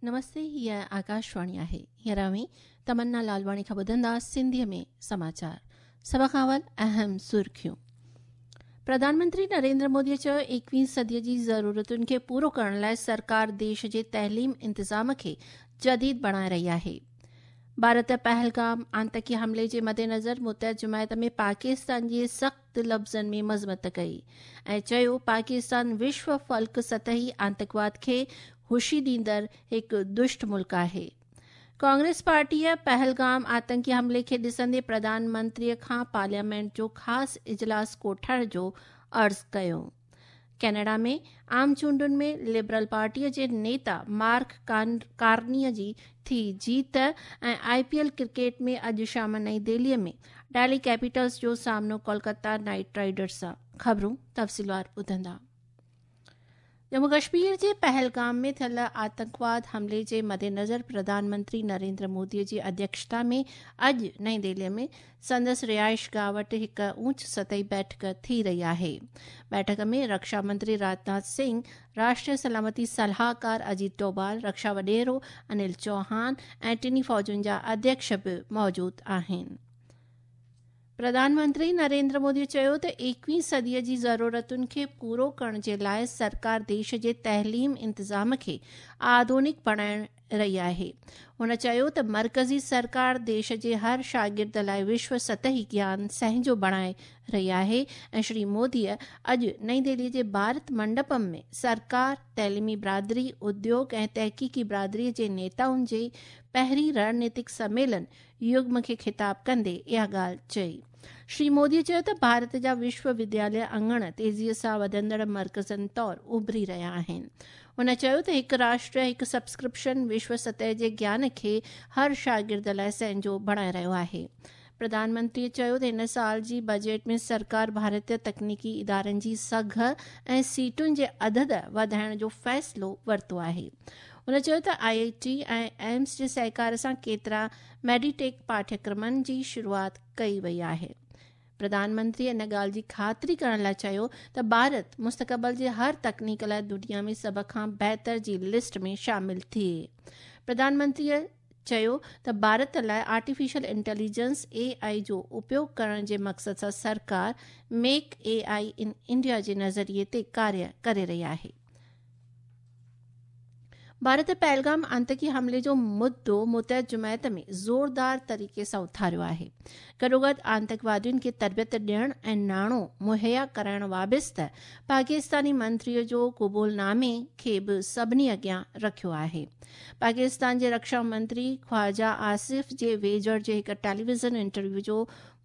نمستي هيء آڪاشواڻي آهي. هينئر اوهين تمنا لالواڻي کان ٻڌندا سنڌيء ۾ سماچار. سڀ کان اول اهم سرخيون. پرڌان منتري نريندر مودي چيو ايڪويهين صديء جي ضرورتن کي پورو ڪرڻ لاء سرڪار ديش جي تعليم انتظام کي جديد بڻائي رهي آهي. ڀارت پهلگام آتنڪي حملي جي مدنظر متحد جماعت ۾ پاڪستان جي سخت لفظن ۾ مذمت ڪئي ۽ چيو پاڪستان وشو فلڪ سطحي آتنڪواد کي هوشي ڏيندڙ هڪ دشٽ ملڪ آهي. ڪانگريس پارٽيء پهلگام آتنڪي حملي کي ڏسندي پرڌان منتريء کان پارليامينٽ جو خاص اجلاس ڪوٺائڻ جو عرض ڪيو. ڪينيڊا ۾ عام چونڊن ۾ لبرل پارٽيء جي نيتا مارڪ ڪارنيء جي ٿي جيت ۽ آء پي ايل ڪرڪيٽ ۾ اڄ شام نئين دهليء ۾ ڊيلي ڪيپيٽلز جو سامنو ڪولڪتا نائيٽ رائيڊرز سان. خبرون تفصيلوار ٻڌندا. ڄمون ڪشمير جي پهلگام ۾ ٿيل آتنڪواد حملي جي مدنظر پرڌان منتري نريندر مودي جي اڌيڪشتا ۾ اڄ نئين دهلي ۾ سندس رهائشگاهه وٽ هڪ اوچ سطحي بيٺڪ ٿي رهي آهي. بيٺڪ ۾ رڪشا منتري راجناٿ سنگهه، راشٽريه سلامتي صلاحڪار اجيت ڊوڀال، رڪشا وڏيرو انيل چوهان ۽ ٽنهي فوجن جا اڌيڪش به موجود آهن. پرڌان منتري نريندر مودي چيو ته ايڪويهين صديء جي ضرورتن کي پورو ڪرڻ جي لاء سرڪار ديش جي تعليم انتظام کي آڌونڪ بڻائڻ رهي آهي. هن چيو ته مرڪزي سرڪار ديش جي هر شاگرد لاء وشو سطحي گيان سهنجو بڻائي رهي آهي ۽ شري مودي اڄ نئين دهلي جي ڀارت منڊپم ۾ سرڪار، تعليمي برادري، اديوگ ۽ تحقيقي برادري جي نيتائن جي پهرين رڻنيتڪ سميلن يگم کي خطاب ڪندي اها ڳالهه چئي. شري مودي چيو ته ڀارت جا وشو ودياليه اڱڻ تيزيء سان وڌندڙ مرڪزن طور اڀري رهيا آهن. هن چيو ته هڪ راشٽر هڪ سبسڪرپشن وشو سطح جي گيان کي هر شاگرد لاء سهنجو بڻائي رهيو آهي. پرڌان منتري چيو ته هن سال جي بجيٽ ۾ سرڪار ڀارتيه تڪنيڪي ادارن جي سگهه ۽ سيٽن جي عدد وڌائڻ جو فيصلو ورتو آهي. هن چيو ته آء آء ٽي ۽ ايمس جي سهڪار سان ڪيترا ميڊيٽيڪ پاٺيڪرمن جي شروعات ڪئي وئي آهي. پرڌان منتري ان ڳالهه جي خاطري ڪرڻ لاء چيو ته ڀارت مستقبل جي هر تڪنيڪ لاء دنيا ۾ سڀ کان بهتر جي لسٽ ۾ شامل ٿئي. پرڌان منتري چيو ته ڀارت لاء آرٽيفيشل انٽيليجنس، اي آء، جو اپيوگ ڪرڻ جي مقصد سان سرڪار make a I in India جي نظريي تي ڪاريه ڪري رهي آهي. ڀارت پهلگام آتنڪي حملي جو مدعو متحد جماعت ۾ زوردار طريقي سان اٿاريو آهي. گڏوگڏ آتنڪوادين کي تربيت ڏيڻ ۽ ناڻو مهيا ڪرائڻ وابسته پاڪستاني منتري جو قبول نامي کي به سڀني اڳيان رکيو آهي. پاڪستان جي رڪشا منتري خواجه آصف جي ويجهڙ جي هڪ ٽيليويزن انٽرويو جو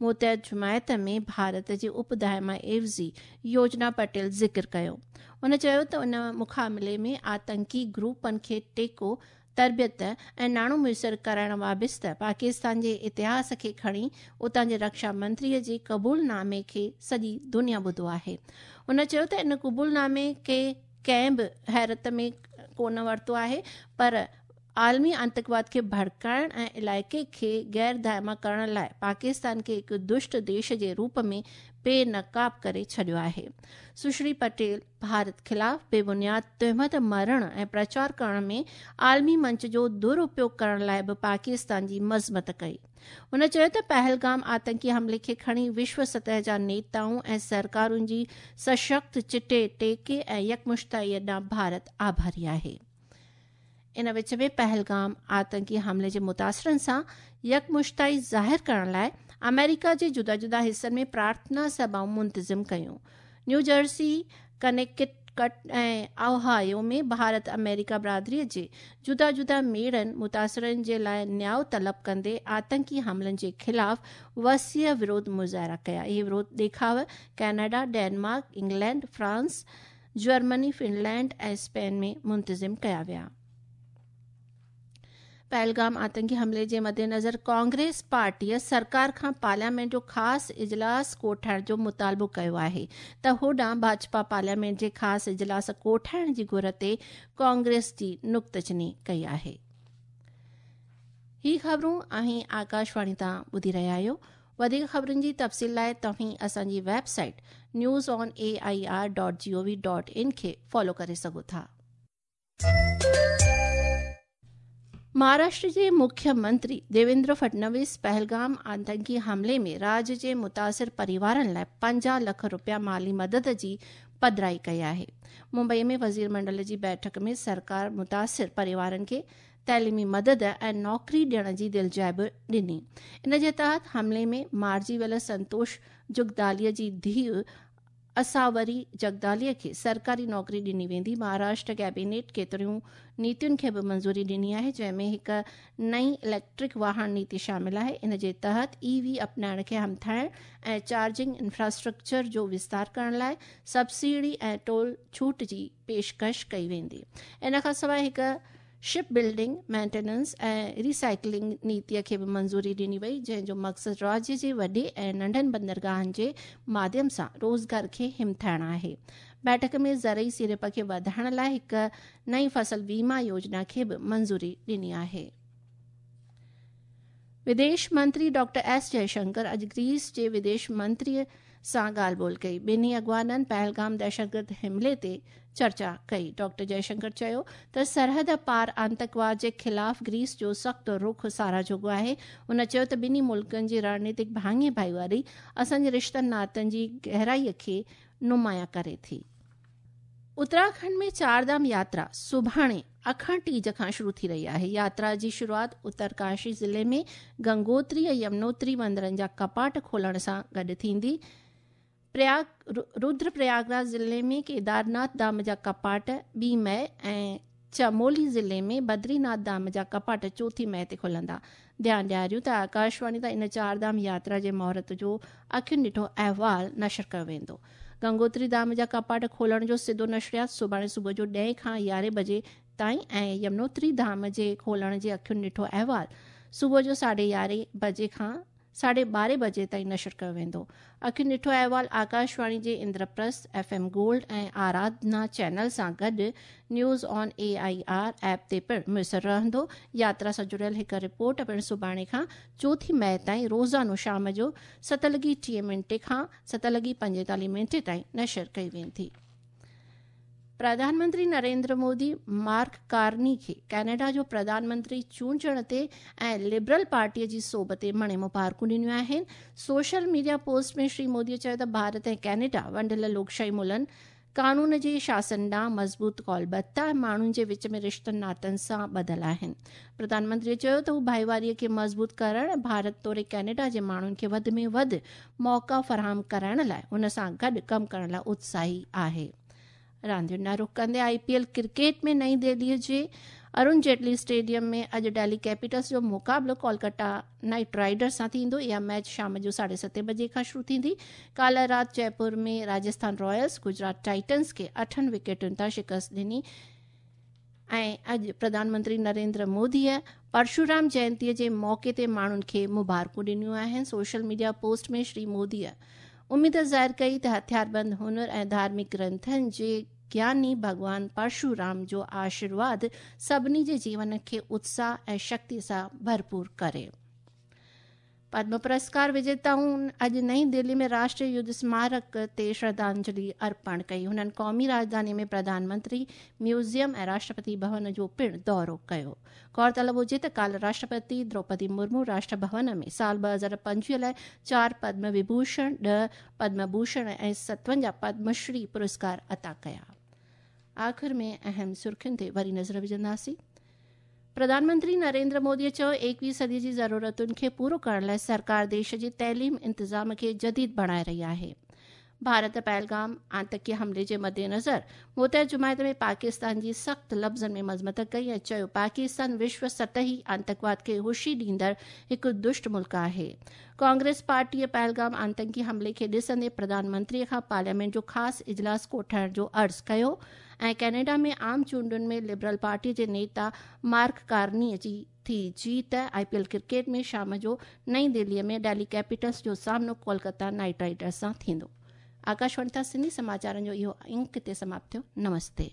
متحد جماعت ۾ ڀارت جي اپ دائما عيوضي يوجنا پٽيل ذڪر ڪيو. هن چيو ته ان مخاملي ۾ آتنڪي گروپن کي ٽيڪو، تربيت ۽ ناڻو ميسر ڪرائڻ وابسته پاڪستان جي اتهاس کي کڻي اتان جي رڪشا منتري جي قبول نامي کي سڄي دنيا ٻڌو آهي. هن چيو ته ان قبول نامي کي ڪنهن به حيرت ۾ ڪونه ورتو آهي پر عالمي آتنڪواد کي ڀڙڪائڻ ۽ علائقي کي غير دائما ڪرڻ لاء پاڪستان کي هڪ دشٽ ديش جي روپ ۾ بي نقاب ڪري ڇڏيو آهي. سشري پٽيل ڀارت خلاف بي بنياد تهمت مڙهڻ ۽ پرچار ڪرڻ ۾ عالمي منچ جو دراپيوگ ڪرڻ لاء به پاڪستان جي مذمت ڪئي. هن چيو ته پهلگام آتنڪي حملي کي کڻي وشو سطح جا نيتائون ۽ سرڪارن جي سشڪت چٽي ٽيڪي ۽ يڪمشتائي ڏانهن ڀارت آڀاري آهي. ان وچ ۾ پهلگام آتنڪي حملي جي متاثرن سان يڪمشتائي ظاهر ڪرڻ لاء آمريڪا جي جدا جدا حصن ۾ پرارٿنا سڀائون منتظم ڪيون. نيو جرسي، ڪنيڪٽڪٽ ۽ اوهايو ۾ ڀارت آمريڪا برادري جي جدا جدا ميڙن متاثرن جي لاء نياء طلب ڪندي آتنڪي حملن جي خلاف وسيع وروڌ مظاهرا ڪيا. اهي وروڌ ڏيکاء Canada, Denmark, England, France, Germany, Finland ۽ Spain ۾ منتظم ڪيا ويا. پهلگام آتنڪي حملي جي مدنظر ڪانگريس پارٽيء سرڪار کان پارليامينٽ جو خاص اجلاس ڪوٺائڻ جو مطالبو ڪيو آهي ته هوڏانهن ڀاجپا پارليامينٽ جي خاص اجلاس ڪوٺائڻ جي گهر تي ڪانگريس جي نڪتچيني ڪئي آهي. هي خبرون اوهين آڪاشواڻي تان ٻڌي رهيا آهيو. وڌيڪ خبرن جي تفصيل لاء توهين اسان جي website news on A I R dot G O V dot in کي فالو ڪري سگهو ٿا. مهاراشٽر جي مکيه منتري ديويندر فڊنويس پهلگام آتنڪي حملي ۾ راڄ جي متاثر پريوارن لاء 50 لک رپيا مالي مدد جي پڌرائي ڪئي آهي. ممبئي ۾ وزير منڊل جي بيٺڪ ۾ سرڪار متاثر پريوارن کي تعليمي مدد ۽ نوڪري ڏيڻ جي دلجاء به ڏني. ان جي تحت حملي ۾ مارجي ويل سنتوش جگدالي جي ڌيء اساوري جگدالي کي سرڪاري نوڪري ڏني ويندي. مهاراشٽر ڪيبينيٽ ڪيتريون نيتين کي به منظوري ڏني آهي، جنهن ۾ هڪ نئين اليڪٽرڪ واهڻ نيتي شامل آهي. ان جي تحت اي وي اپنائڻ کي همٿائڻ ۽ چارجنگ انفراسٽرڪچر جو وستار ڪرڻ لاء سبسڊي ۽ ٽول ڇوٽ جي پيشڪش ڪئي ويندي. ان کان سواء هڪ شپ بلڊنگ، مينٽيننس ۽ ريسائيڪلنگ نيتي کي به منظوري ڏني وئي، جنهن جو مقصد راجيه جي وڏي ۽ ننڍن بندرگاهن جي ماڌيم سان روزگار کي همٿائڻ آهي. بيٺڪ ۾ زرعي سيڙپ کي وڌائڻ لاء هڪ نئين فصل ويما يوجنا کي به منظوري ڏني آهي. وديش منتري ڊاڪٽر ايس جئشنڪر اڄ گريس جي وديش منتري سان ڳالهه ٻولهه ڪئي. ٻنهي اڳواڻن پهلگام دهشتگرد حملي تي چرچا ڪئي. ڊاڪٽر جئشنڪر چيو ته سرحد پار آتنڪواد جي خلاف گريس جو سخت رخ ساراهه جوڳو آهي. هن چيو ته ٻنهي ملڪن جي رڻنيتڪ ڀاڱي ڀائيواري اسان جي رشتن ناتن جي گهرائي کي نمايان ڪري ٿي. اتراکنڊ ۾ چار ڌام ياترا سڀاڻي اکڻ ٽيج کان شروع ٿي رهي آهي. ياترا جي شروعات اترڪاشي ضلعي ۾ گنگوتري ۽ يمنوتري مندرن جا ڪپاٽ کولڻ سان گڏ ٿيندي. پرياگ رودر پرياگراج ضلعي ۾ ڪيدارناٿ ڌام جا ڪپاٽ ٻي مئي ۽ چمولي ضلعي ۾ بدريناٿ ڌام جا ڪپاٽ چوٿين مئي تي کلندا. ڌيان ڏياريون ته آڪاشواڻي تان ان چار ڌام ياترا جي مهورت جو اکين ڏٺو احوال نشر ڪيو ويندو. گنگوتري ڌام جا ڪپاٽ کولڻ جو سڌو نشريات سڀاڻي صبح جو ڏهين کان يارهين بجي تائين ۽ يمنوتري ڌام جي کولڻ جي اکين ڏٺو احوال صبح جو ساڍي يارهين بجي کان ساڍي ٻارهين بجي تائين نشر ڪيو ويندو. اکين ڏٺو احوال آڪاشواڻي جي Indraprastha F M gold ۽ Aradhana channel سان گڏ news on A I R app تي پڻ ميسر رهندو. ياترا سان جڙيل هڪ رپورٽ پڻ سڀاڻي کان چوٿين مئي تائين روزانو شام جو ست لڳي ٽيهه منٽي کان ست لڳي پنجيتاليهه منٽي تائين نشر ڪئي ويندي. پرڌان منتري نريندر مودي مارڪ ڪارني کي ڪئناڊا جو پرڌان منتري چونڊجڻ تي ۽ لبرل پارٽي جي سوڀ تي مڻي مبارڪون ڏنيون آهن. Social media post ۾ Shri Modi چيو ته ڀارت ۽ ڪئناڊا ونڊيل لوڪشاهي ملن قانون جي شاسن ڏانهن مضبوط قولبڌتا ۽ ماڻهن جي وچ ۾ رشتن ناتن سان ٻڌل آهن. پرڌان منتري چيو ته هو ڀائيواري کي مضبوط ڪرڻ ۽ ڀارت توڙي ڪئناڊا جي ماڻهن کي وڌ ۾ وڌ موقعا فراهم ڪرائڻ لاء هن سان گڏ ڪم ڪرڻ لاء اتساهي آهي. راندين ڏانهن رخ ڪندي آء پي ايل ڪرڪيٽ ۾ نئين دهلي جي ارون جيٽلي اسٽيڊيم ۾ اڄ ڊيلي ڪيپيٽلز جو مقابلو ڪولڪاتا نائيٽ رائيڊرز سان ٿيندو. اها ميچ شام جو ساڍي ستين بجي کان شروع ٿيندي. ڪالهه رات جئپور ۾ راجسٿان رائلز گجرات ٽائٽنز کي اٺن وڪيٽن تان شڪست ڏني ۽ اڄ پرڌان منتري نريندر موديء پرشورام جينتيء جي موقعي تي ماڻهن کي مبارڪون ڏنيون آهن. سوشل ميڊيا پوسٽ ۾ شري موديء اميد ظاهر ڪئي ته هٿياربند هنر ۽ ڌارمڪ گرنٿن جي گياني ڀڳوان پرشورام جو آشيرواد سڀني جي جيون کي اتساهه ۽ شڪتي سان ڀرپور ڪري. پدم پرسڪار وجيتائن اڄ نئين دهلي ۾ راشٽريه يڌ سمارڪ تي شرڌانجلي ارپڻ ڪئي. هنن قومي راڄڌاني ۾ پرڌان منتري ميوزيم ۽ راشٽرپتي ڀون جو پڻ دورو ڪيو. غور طلب هجي ته ڪالهه راشٽرپتي دروپدي مرمو راشٽر ڀون ۾ سال 2025 لاء چار پدم وڀوشڻ، ڏهه پدم ڀوشڻ ۽ 57 پدم شري پرسڪار عطا ڪيا. آخر ۾ اهم سرخين تي وري نظر وجهنداسين. پرڌان منتري نريندر مودي چيو ايڪويهه صدي جي ضرورتن کي پورو ڪرڻ لاء سرڪار ديش جي تعليم انتظام کي جديد بڻائي رهي آهي. ڀارت پهلگام آتنڪي حملي جي مدنظر متحد جماعت ۾ پاڪستان جي سخت لفظن ۾ مذمت ڪئي ۽ چيو پاڪستان وشو سطحي آتنڪواد کي هوشي ڏيندڙ هڪ دشٽ ملڪ آهي. ڪانگريس پارٽيء پهلگام آتنڪي حملي کي ڏسندي پرڌان منتري کان پارليامينٽ جو خاص اجلاس ڪوٺائڻ جو عرض ڪيو ۽ ڪئناڊا ۾ عام چونڊن ۾ لبرل پارٽي جي نيتا مارڪ ڪارني جي ٿي جيت. آء پي ايل ڪرڪيٽ ۾ شام جو نئين دهلي ۾ ڊيلي ڪيپيٽلز جو سامنو ڪولڪتا نائيٽ رائيڊرز سان ٿيندو. آڪاشواڻي تان سنڌي سماچارن جو اهو انڪ هتي سماپت ٿيو. نمستي.